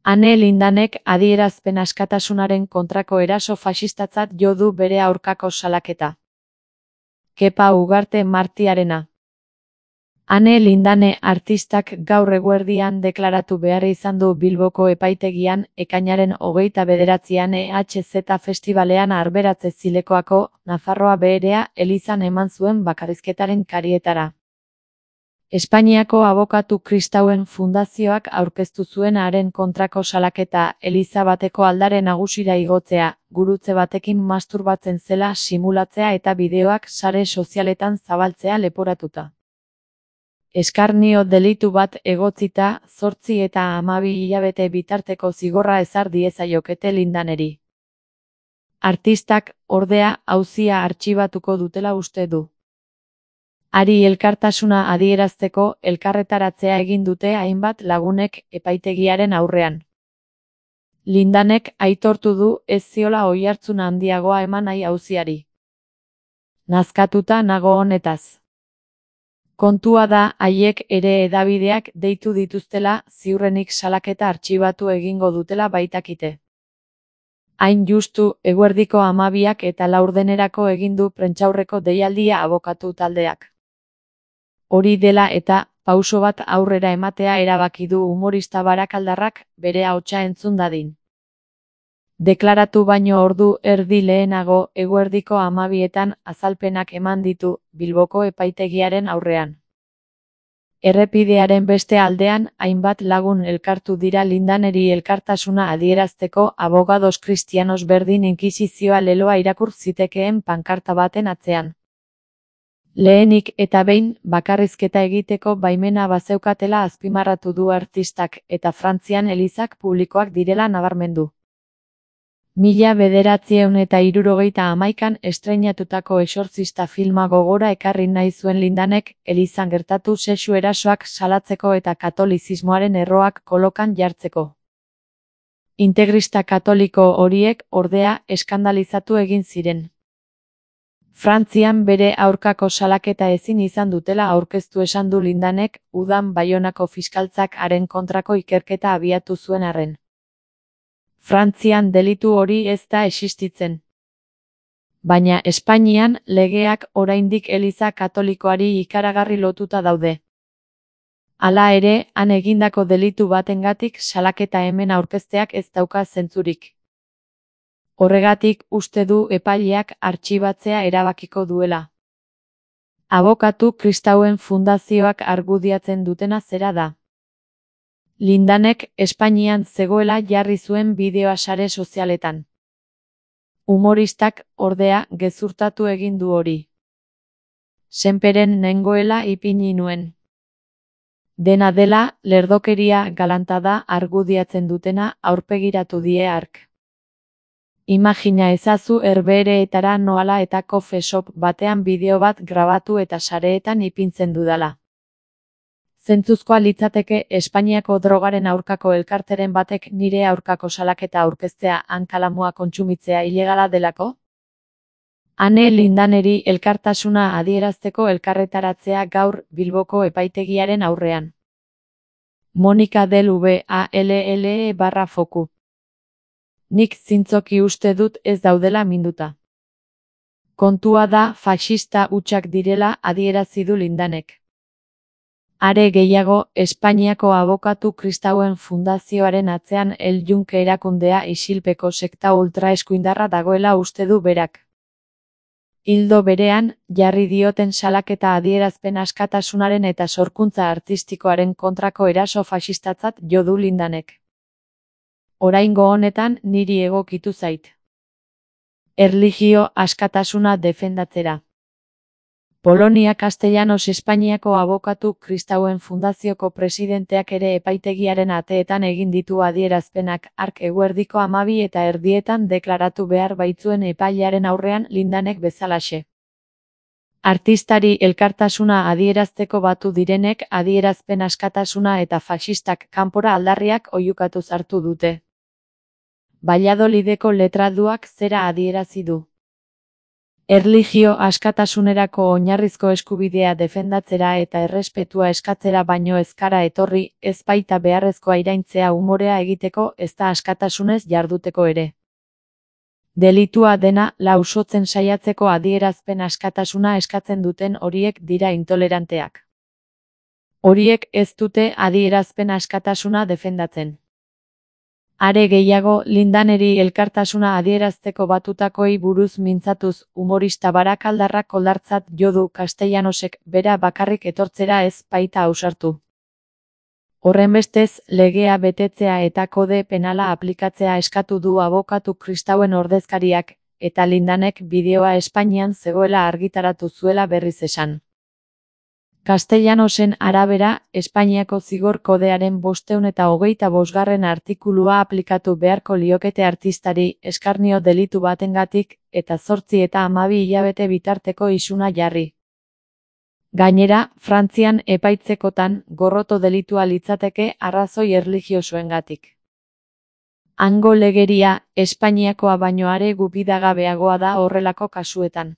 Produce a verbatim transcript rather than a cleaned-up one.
Ane Lindanek adierazpen askatasunaren kontrako eraso faxistatzat jo du bere aurkako salaketa. Kepa Ugarte Martiarena. Ane Lindane artistak gaur eguerdian deklaratu behar izan du Bilboko epaitegian ekainaren hogeita bederatzian E H Z Festivalean Arberatze Zilekoako Nafarroa Beherea elizan eman zuen bakarrizketaren karietara. Espainiako abokatu kristauen fundazioak aurkeztu zuen haren kontrako salaketa eliza bateko aldare nagusira igotzea, gurutze batekin masturbatzen zela simulatzea eta bideoak sare sozialetan zabaltzea leporatuta. Eskarnio delitu bat egotzita, zortzi eta hamabi hilabete bitarteko zigorra ezar diezaiokete Lindaneri. Artistak, ordea, auzia artxibatuko dutela uste du. Hari elkartasuna adierazteko elkarretaratzea egin dute hainbat lagunek epaitegiaren aurrean. Lindanek aitortu du ez ziola oihartzun handiagoa eman nahi auziari. Nazkatuta nago honetaz. Kontua da haiek ere hedabideak deitu dituztela ziurrenik salaketa artxibatu egingo dutela baitakite. Hain justu, eguerdiko hamabiak eta laurdenerako egin du prentsaurreko deialdia abokatu taldeak. Hori dela eta, pauso bat aurrera ematea erabaki du humorista barakaldarrak bere ahotsa entzun dadin. Deklaratu baino ordu erdi lehenago eguerdiko hamabietan azalpenak eman ditu Bilboko epaitegiaren aurrean. Errepidearen beste aldean hainbat lagun elkartu dira Lindaneri elkartasuna adierazteko abogados kristianos berdin inkisizioa leloa irakur zitekeen pankarta baten atzean. Lehenik eta behin bakarrizketa egiteko baimena bazeukatela azpimarratu du artistak eta Frantzian elizak publikoak direla nabarmendu. Mila bederatziehun eta hirurogeita hamaikan estreinatutako Exortzista filma gogora ekarri nahi zuen Lindanek elizan gertatu sexu erasoak salatzeko eta katolizismoaren erroak kolokan jartzeko. Integrista katoliko horiek ordea eskandalizatu egin ziren. Frantzian bere aurkako salaketa ezin izan dutela aurkeztu esan du Lindanek, udan Baionako fiskaltzak haren kontrako ikerketa abiatu zuen arren. Frantzian delitu hori ez da existitzen. Baina Espainian legeak oraindik eliza katolikoari ikaragarri lotuta daude. Hala ere, han egindako delitu batengatik salaketa hemen aurkezteak ez dauka zentzurik. Horregatik uste du epaileak artxibatzea erabakiko duela. Abokatu kristauen fundazioak argudiatzen dutena zera da. Lindanek Espainian zegoela jarri zuen bideoa sare sozialetan. Humoristak, ordea, gezurtatu egin du hori. Senperen nengoela ipini nuen. Dena dela, lerdokeria galanta da argudiatzen dutena aurpegiratu die hark. Imagina ezazu herbehereetara noala eta coffee shop batean bideo bat grabatu eta sareetan ipintzen dudala. Zentzuzkoa litzateke Espainiako drogaren aurkako elkarteren batek nire aurkako salaketa aurkeztea hankalamua kontsumitzea ilegala delako? Ane Lindaneri elkartasuna adierazteko elkarretaratzea gaur Bilboko epaitegiaren aurrean. Monika del V A L L E barra foku. Nik zintzoki uste dut ez daudela minduta. Kontua da faxista hutsak direla adierazi du Lindanek. Are gehiago, Espainiako abokatu kristauen fundazioaren atzean El Yunque erakundea isilpeko sekta ultraeskuindarra dagoela uste du berak. Ildo berean, jarri dioten salaketa adierazpen askatasunaren eta sorkuntza artistikoaren kontrako eraso faxistatzat jo du Lindanek. Oraingo honetan niri egokitu zait. Erlijio askatasuna defendatzera. Polonia Castellanos Espainiako abokatu kristauen fundazioko presidenteak ere epaitegiaren ateetan egin ditu adierazpenak hark eguerdiko hamabi eta erdietan deklaratu behar baitzuen epailearen aurrean Lindanek bezalaxe. Artistari elkartasuna adierazteko batu direnek adierazpen askatasuna eta faxistak kanpora aldarriak oihukatu sartu dute. Valladolideko letraduak zera adierazi du. Erlijio askatasunerako oinarrizko eskubidea defendatzera eta errespetua eskatzera baino ez gara etorri, ez baita beharrezkoa iraintzea umorea egiteko ezta askatasunez jarduteko ere. Delitua dena lausotzen saiatzeko adierazpen askatasuna eskatzen duten horiek dira intoleranteak. Horiek ez dute adierazpen askatasuna defendatzen. Are gehiago, Lindaneri elkartasuna adierazteko batutakoei buruz mintzatuz, humorista Barakaldarrak oldartzat jo du Castellanosek bera bakarrik etortzera ez baita ausartu. Horrenbestez, legea betetzea eta kode penala aplikatzea eskatu du abokatu kristauen ordezkariak, eta Lindanek bideoa Espainian zegoela argitaratu zuela berriz esan. Castellanosen arabera, Espainiako zigor kodearen bostehun eta hogeita bosgarren artikulua aplikatu beharko liokete artistari eskarnio delitu batengatik, eta zortzi eta hamabi hilabete bitarteko isuna jarri. Gainera, Frantzian epaitzekotan gorroto delitua litzateke arrazoi erlijiosoengatik. Hango legeria, Espainiakoa baino are gupidagabeagoa da horrelako kasuetan.